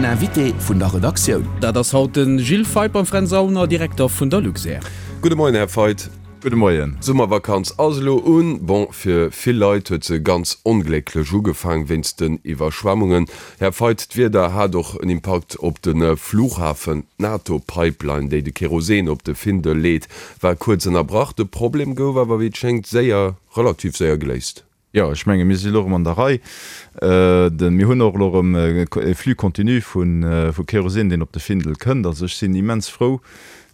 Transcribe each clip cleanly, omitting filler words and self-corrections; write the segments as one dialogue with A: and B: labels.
A: Invité vun der Redaktioun.
B: Dat ass haut de Gilles Feith beim Fränz Aulner, Direkter vun der Luxair.
C: Gudde Moien, Här Feith.
D: Gudde Moien.
C: D'Summervakanz ass elo un. Bon, fir vill Leit huet se ganz onglécklech ugefaang wéinst den Iwwerschwemmungen. Här Feith, d'Wieder hat och en Impakt op de Flughafen. D'NATO-Pipeline, déi de Kerosin op de Findel leet, war kuerz ënnerbrach. De Problem gouf awer, wéi et schéngt, séier, relativ séier geléist.
D: Jo, ech menge mir si elo erëm an der Rei. Mir hunn och elo erëm e Flux continu vu Kerosin, deen op de Findel kënnt. Also ech sinn immens frou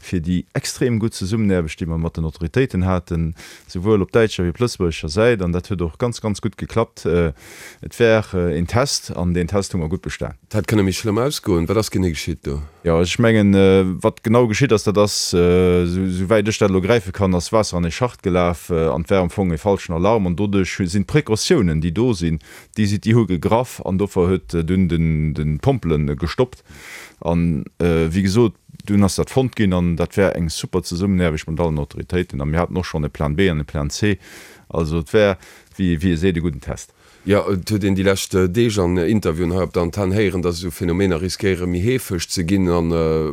D: fir déi extrem gutt Zesummenaarbecht, déi mer mat den Autoritéiten haten, souwuel op däitscher wéi op lëtzebuergescher Säit. An dat huet och ganz, ganz gutt geklappt. Et war een Test an deen Test hu mer gutt bestan.
C: Et hätt kënne méi schlëmm ausgoen. Wat ass genee geschitt do?
D: Jo, ech mengen, wat genau geschitt ass, dat ass, esou wäit ech dat elo gräife kann, ass Waasser an ee Schacht gelaf an et war am Fong e falschen Alarm an doduerch sinn d'Precautiounen, déi do sinn, déi si, déi hu gegraff an dofir huet dunn den d'Pompele gestoppt an, wéi gesot, dunn ass dat fonnt ginn an dat war eng super Zesummenaarbecht mat allen Autoritéiten a mir haten och schonn e Plan B an e Plan C, also et war, wéi ee seet, e gudden Test.
C: Jo, et huet een déi lescht Deeg an Interviewen hei op der Antenn héieren, datt esou Phänomener riskéiere méi heefeg ze ginn a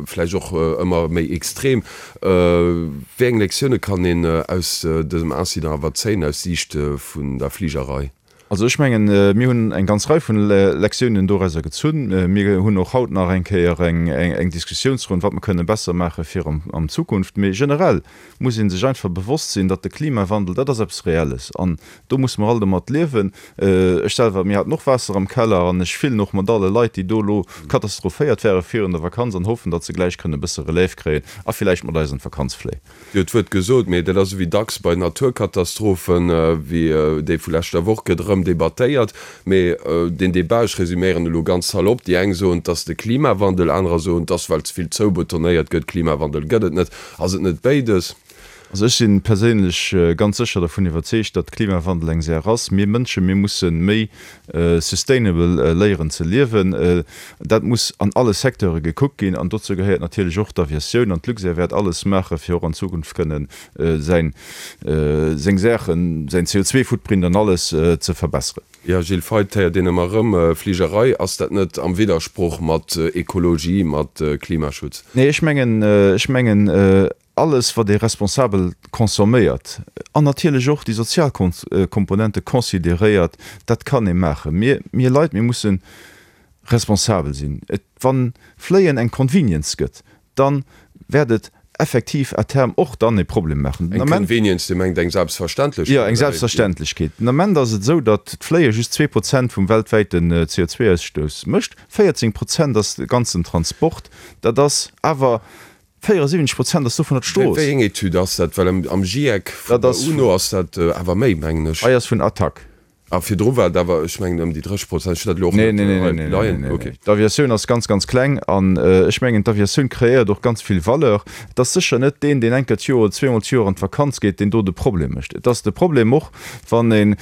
C: vläicht och ëmmer méi extrem. Wéi eng Lektioune kann een aus dësem Incident awer zéien aus Siicht vun der Fligerei?
D: Also ech mengen, mir hunn eng ganz Rei vun Lektiounen dorauser gezunn. Mir hunn och haut nach eng Kéier eng Diskussiounsronn, wat mer kënne besser maache fir an Zukunft. Mee generell muss ee sech einfach bewosst sinn, datt de Klimawandel, dat ass eppes Reelles an do musse mer all domat liewen. Ech selwer, mir haten och Waasser am Keller an ech fillen och mat alle Leit, déi do elo katastrophéiert ware virun der Vakanz an hoffen, datt se gläich kënne e bësse Relève kréien a villäicht mat eis an d'Vakanz fléien.
C: Dir hutt d'Wuert gesot, mee dat ass ewéi dacks bei Naturkatastrophen, wéi déi vu leschter Woch, gëtt erëm debattéiert. Mee deen Debat, ech resuméieren elo ganz salopp, déi eng soen, et ass de Klimawandel, anerer soen, et ass well ze vill zoubetonéiert gëtt, Klimawandel gëtt et net. Ass et net béides?
D: Also ech si perséinlech ganz sécher dervun iwwerzeegt, datt Klimawandel eng Saach ass. Mir Mënschen, mir musse méi sustainable léieren ze liewen. Dat muss an alle Secteure gekuckt ginn an dozou gehéiert natierlech och d'Aviatioun. An d'Luxair wäert alles maache fir och an Zukunft kënnen säin, seng Saachen, säin CO2-Footprint an alles ze verbesseren.
C: Jo, Gilles Feith, héiert een ëmmer erëm, Fligerei, ass dat net am Widdersproch mat Ekologie, mat Klimaschutz?
D: Nee, ech mengen, ech mengen, alles wat ee responsabel consomméiert an natierlech och déi sozial Komponente consideréiert, dat kann ee maachen. Mir, mir Leit, mir musse responsabel sinn. Et, wann Fléien eng Convenience gëtt, dann wäert et effektiv à terme och dann e Problem maachen.
C: Den Ament. Eng Convenience, Dir mengt eng Selbstverständlechkeet?
D: Jo, eng Selbstverständlechkeet. Den Ament ass et esou, datt d'Fléie just 2% vum weltwäiten CO2-Ausstouss mécht. 14 Prozent ass de ganzen Transport. Dat ass awer 74 Prozent ass dovunner d'Strooss.
C: Wéi eng Etüd ass dat? Well am GIEC vun der UNO ass dat awer méi, mengen ech.
D: Hei ass vun Attac.
C: A virdru war et awer, ech mengen, ëm déi 30 Prozent. Ech hunn dat elo och
D: net hei leien. Ok. D'Aviatioun ass ganz, ganz kleng. An ech mengen, d'Aviatioun kreéiert och ganz vill Valeur. Et ass sécher net deen, deen eng Kéier d'Joer oder zweemol d'Joer an d'Vakanz geet, deen do de Problem mécht. Et ass de Problem och, wann ee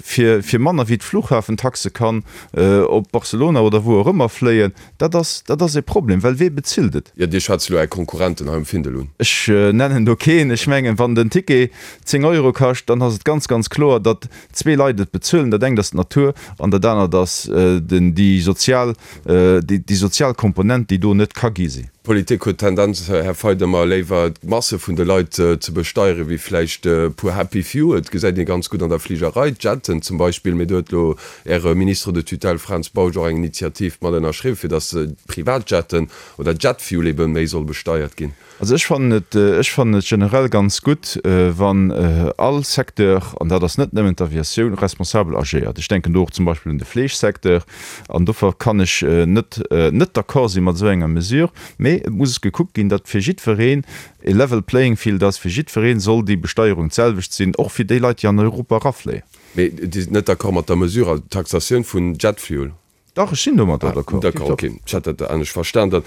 D: fir, fir manner wéi d'Flughafentaxe kann op Barcelona oder wou och ëmmer fléien. Dat ass, dat ass e Problem, well wee bezilt et?
C: Jo, Dir schwätzt elo Är Konkurrenten hei um Findel un.
D: Ech nennen do keen. Ech mengen, wann den Ticket 10 Euro kascht, dann ass et ganz, ganz kloer, datt zwee Leit et bezuelen. Dat engt ass d'Natur an dat anert ass den, déi sozial, déi sozial Komponent, déi do net ka gi sinn.
C: D'Politik huet d'Tendenz, Här Feidt, ëmmer léiwer d'Masse vun de Leit ze besteieren, wéi vläicht e puer happy few. Et gesäit ee ganz gutt an der Fligerei, d'Jetten zum Beispill. Mee do huet elo Äre Ministre de tutelle Fränz Bausch och eng Initiativ mat ënnerschriwwen, fir datt d'Privatjetten oder Jetfuel ebe méi soll besteiert ginn.
D: Also ech fannen et, ech fannen et generell ganz gutt, wann all Secteur, an dat ass net nëmmen d'Aviatioun, responsabel agéiert. Ech denken do och zum Beispill un de Fleeschsecteur. An dofir kann ech net net d'accord si mat esou enger Mesure. Mee et muss gekuckt ginn, datt fir jiddwereen e level playing field ass, fir jiddweree soll déi Besteierung d'selwecht sinn, och fir déi Leit, déi an Europa erafléien.
C: Mee Dir sidd net d'accord mat der Mesure, also d'Taxatioun vun Jetfuel?
D: Dach, ech sinn domadder d'accord.
C: D'accord, ok. Ech hat dat anescht verstan dann.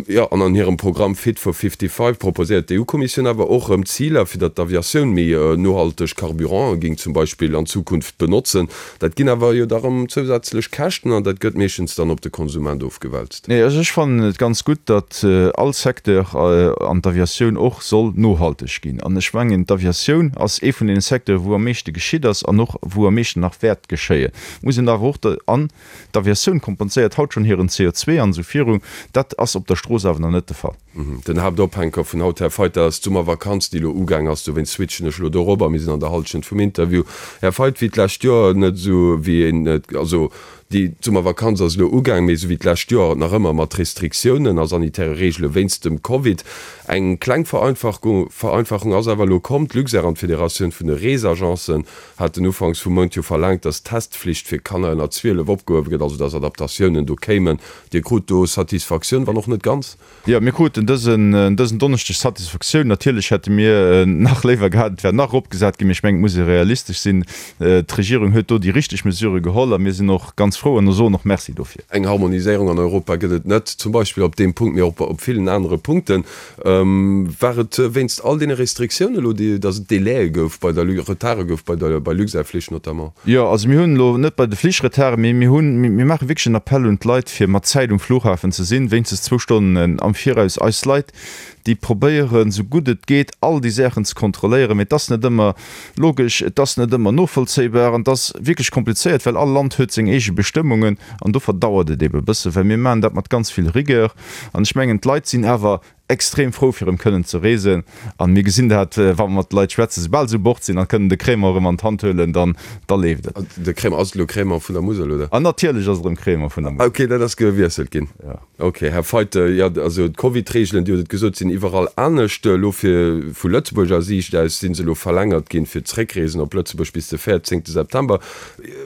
C: Jo, an an hirem Programm Fit for 55 proposéiert d'EU-Kommissioun awer och erëm Ziler, fir datt d'Aviatioun méi nohalteg Carburante géing zum Beispill an Zukunft benotzen. Dat ginn awer jo da erëm zousätzlech Käschten an dat gëtt meeschtens dann op de Konsument ofgewälzt.
D: Nee, also ech fannen et ganz gutt, datt all Secteur, an d'Aviatioun och, soll nohalteg ginn. An ech mengen, d'Aviatioun ass ee vun deene Secteuren, wou am meeschte geschitt ass an och wou am meeschten nach wäert geschéien. Muss een awer och an d'Aviatioun. Aviatioun kompenséiert haut schonn hiren CO2 an esou viru. Dat ass op der Strooss awer nach net de Fall.
C: Den Haaptophänker vun haut, Här Feidt, dat ass d'Summervakanz, déi elo ugaang ass. Dowéinst switchen ech elo dorobber. Mir sinn an der Hallschent vum Interview. Här Feidt, wéi d'lescht Joer, net esou wéi een et, also déi d'Summervakanz ass elo ugaang, mee esou wéi d'lescht Joer nach ëmmer mat Restriktiounen a sanitäre Reegele wéinst dem Covid. Eng kleng Vereinfachung ass awer elo komm. D'Luxair an d'Federatioun vun de Reesagencen haten ufanks vum Mount jo verlaangt, datt d'Testflicht fir Kanner ënner 12 opgehuewe gëtt, also datt Adaptatiounen do kéimen. Dir krut do Satisfaktioun, wann och net ganz?
D: Jo, mir kruten dësen dësen Donneschdeg Satisfaktioun. Natierlech hätte mir nach léiwer gehat, et wär nach eropgesat ginn, mee ech mengen, et muss ee realistesch sinn. D'Regierung huet do déi richteg Mesure geholl a mir sinn och ganz frou an soen och Merci dofir.
C: Eng Harmoniséierung an Europa gëtt et net, zum Beispill op deem Punkt, mee och op villen anere Punkten. War et wéinst all deene Restriktiounen elo, déi, datt et Délaië gouf bei der, Retarde gouf bei der, bei Luxair-Flich notamment?
D: Jo, also mir hunn elo net bei de Flich Retarde, mee mir hunn, mir maache wierklech en Appell un d'Leit, fir mat Zäit um Flughafen ze sinn, wéinstens zwou Stonnen am Viraus. Eis Leit, déi probéieren, esou gutt et geet, all déi Saachen ze kontrolléieren, mee et ass net ëmmer logesch, et ass net ëmmer novollzéibar an et ass wierklech komplizéiert, well all Land huet seng eege Bestëmmungen an do verdauert et eebe e bësse, well mir maachen dat mat ganz vill Rigueur. An ech mengen, d'Leit sinn awer extrem frou, fir erëm kënnen ze reesen. A mir gesinn dat, wa mer mat de Leit schwätzen, soubal se u Bord sinn a kënnen de Crémant erëm an d'Hand huelen, dann, da leeft et.
C: De Crémant, ass et elo Crémant vun der Musel, oder?
D: An natierlech ass et erëm Crémant vun der Musel.
C: Ok, dat ass gewiesselt ginn.
D: Jo.
C: Ok, Här Feidt, jo, also d'Covid-Reegelen, Dir hutt et gesot, sinn iwwerall anescht. Elo fir, vu Lëtzebuerger Siicht aus, si se elo verlängert ginn fir d'Zréckreesen op Lëtzebuerg bis de 14 September.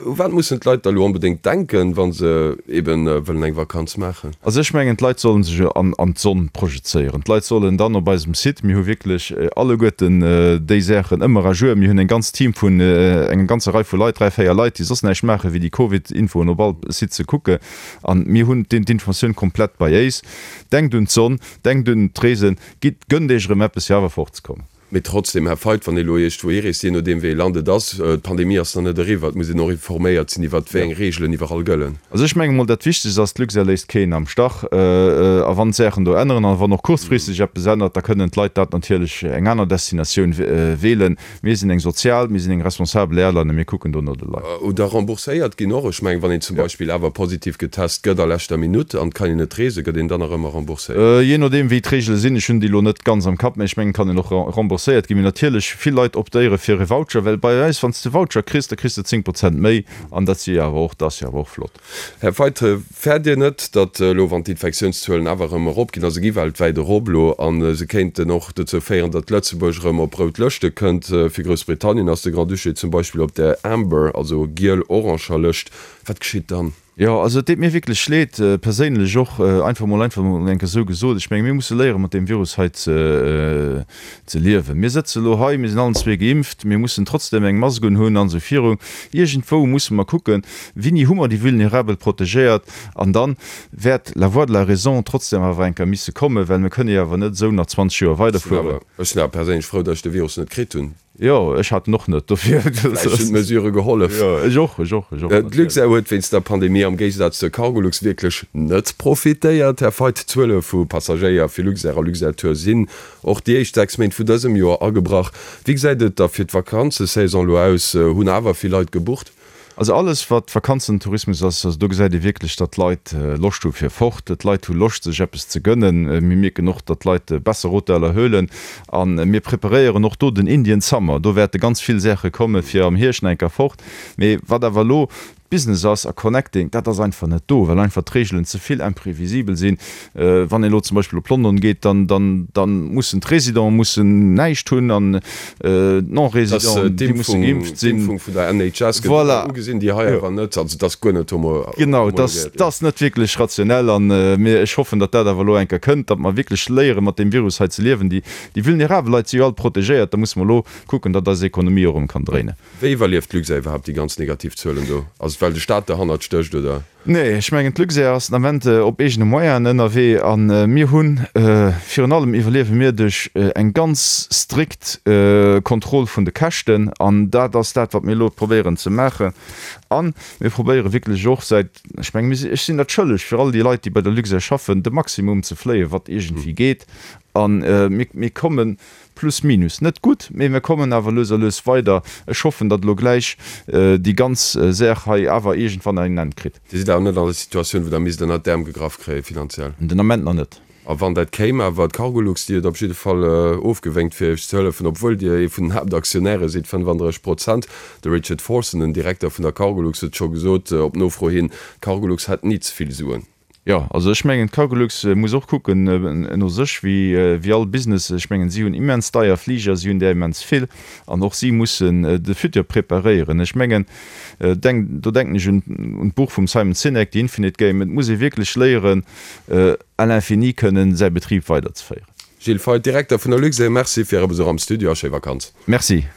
C: U wat mussen d'Leit da elo onbedéngt denken, wa se eben wëllen eng Vakanz maachen?
D: Also ech mengen, d'Leit sollen sech an d'Sonn projezéieren. D'Leit sollen dann op eisem Site, mir hu wierklech alleguerten déi Saachen ëmmer à jour, mir hunn eng ganz Team vun enger ganzer Rei vu Leit, 3, 4 Leit, déi soss näischt maachen, wéi déi Covid-Infoen op all Site ze kucken. An mir hunn d'Informatioun komplett bei éis. Denkt un d'Sonn, denkt un d'Reesen, gitt, gönnt Iech erëm eppes, fir awer fortzekommen.
C: Mee trotzdem, Här Feidt, wann ee elo iergendwou hireest, jee nodeem wéi ee Land et ass, d'Pandemie ass nach net eriwwer, et muss een och informéiert sinn iwwert wéi eng Reegelen iwwerall gëllen.
D: Also ech menge mol, dat Wichtegst ass, d'Luxair léisst keen am Stach. A wann d'Saachen do änneren a wann och kuerzfristeg eppes ännert, da kënnen d'Leit dat natierlech eng aner Destinatioun wählen. Mir sinn eng sozial, mir sinn eng responsabel Airline a mir kucken do no de Leit.
C: Oder rembourséiert ginn och. Ech mengen, wann een zum Beispill awer positiv getest gëtt a leschter Minutt an et kann een net reesen, gëtt een dann nach ëmmer rembourséiert?
D: Jee nodeem wéi d'Reegele sinn, ech hunn déi elo net ganz am Kapp, mä ech mengen, et kann een och rembourséiert ginn. Mee natierlech, vill Leit optéiere fir e Voucher, well bei eis, wann s de e Voucher kriss, da kriss de 10 Prozent méi an dat si jo awer och, dat ass jo awer och flott.
C: Här Feidt, fäert Dir net, datt elo, wann d'Infektiounszuelen awer erëm eropginn, a se gi weltwäit erop elo, a se kéinten och dozou féieren, datt Lëtzebuerg erëm op rout Lëschte kënnt, fir Groussbritannien ass de Grand-Duché zum Beispill op der Amber, also giel-oranger Lëscht, wat geschitt dann?
D: Jo, also et deet mir wierklech leed, perséinlech och, einfach mol einfach mol eng Kéier esou gesot. Ech menge mir musse léiere mat deem Virus hei ze ze liewen. Mir sëtze elo hei, mir sinn allen zwee geimpft, mir mussen trotzdem eng Mask unhunn an esou viru. Iergendwou musse mer kucken, wéini hu mer déi Vulnerabel protegéiert an dann wäert la voix de la raison trotzdem awer eng Kéier misse kommen, well mir kënne jo awer net esou nach 20 Joer weiderfueren.
C: Ech sinn awer perséinlech frou, datt ech de Virus net kritt hunn.
D: Jo, ech hat en och net, dofir.
C: Vläicht hunn d'Mesurë gehollef.
D: Jo, ech och, ech och, ech och.
C: D'Luxair huet wéinst der Pandemie am Géigesaz zur Cargolux wierklech net profitéiert. Här Feidt, d'Zuele vu Passagéier fir Luxair a Luxair Tour sinn och déi éischt 6 Méint vu dësem Joer agebrach. Wéi gesäit et da fir d'Vakanzesaison elo aus? Hunn awer vill Leit gebucht?
D: Also alles wat Vakanzentourismus ass, also do gesäit ee wierklech, datt d'Leit Loscht hu fir fort. D'Leit hu Loscht sech eppes ze gönnen. Mir mierken och, datt d'Leit besser Hoteller huelen a mir preparéieren och do den Indian Summer. Do wäerte ganz vill Saache komme fir am Hierscht nach eng Kéier fort. Mee wat awer elo Business ass a Connecting, dat ass einfach net do, well einfach d'Reegelen ze vill imprevisibel sinn. Wann een elo zum Beispill op London geet, dann, dann, dann mussen d'Résidenten mussen näischt hunn an d'Non-Résidenten, déi musse geimpft sinn.
C: D'Impfung vun der NHS gëtt
D: Voilà.
C: ugesinn, déi hei awer net. Also et ass guer net
D: homo. Genau, et ass, et ass net wierklech rationell an mir, ech hoffen, datt dat awer elo eng Kéier kënnt, datt mer wierklech léieren, mat deem Virus hei ze liewen. Déi, déi vulnerabel Leit si jo all protegéiert, da musse mer elo kucken, datt eis Ekonomie och erëm kann dréinen.
C: Wéi iwwerlieft d'Luxair iwwerhaapt déi ganz negativ Zuelen do? Ass et well de Staat derhannert stécht, oder?
D: Nee, ech mengen d'Luxair ass den Ament op eegene Moyenen ënnerwee a mir hunn, virun allem iwwerliewe mir duerch eng ganz strikt Kontroll vun de Käschten an dat ass dat wat mir elo probéieren ze maachen a mir probéiere wierklech och säit, ech menge mir si, ech sinn dat schëlleg fir all déi Leit déi bei der Luxair schaffen, de Maximum ze fléien wat iergendwéi geet a mir, mir kommen Plus minus. Net gutt, mee mir kommen awer lues a lues weider. Ech hoffen, datt elo gläich déi ganz Saach hei awer iergendwann en Enn kritt.
C: Dir sidd. sidd awer net an der Situatioun, wou Der misst ënnert d'Äerm gegraff kréie finanziell?
D: Den Ament nach net.
C: A wann dat kéim awer, d'Cargolux, déi huet op jidde Fall ofgewénkt fir Iech ze hëllefen, obwuel Dir ee vun den Haaptaktionäre sidd, 35 Prozent. De Richard Forson, den Direkter vun der Cargolux, huet scho gesot op Nofro hin, d'Cargolux hätt ni ze vill Suen.
D: Jo, also ech mengen, d'Cargolux muss och kucken no sech, wéi all Business. Ech mengen, si hunn immens deier Fliger, si hunn där immens vill an och si mussen de Futur preparéieren. Ech mengen, denk, do denken ech un d'Buch vum Simon Sinek, The Infinite Game, et muss ee wierklech léieren, à l'infini kënnen säi Betrib weiderzeféieren.
C: Gilles Feith, Direkter vun der Luxair, Merci fir Äre Besuch am Studio a schéi Vakanz.
D: Merci.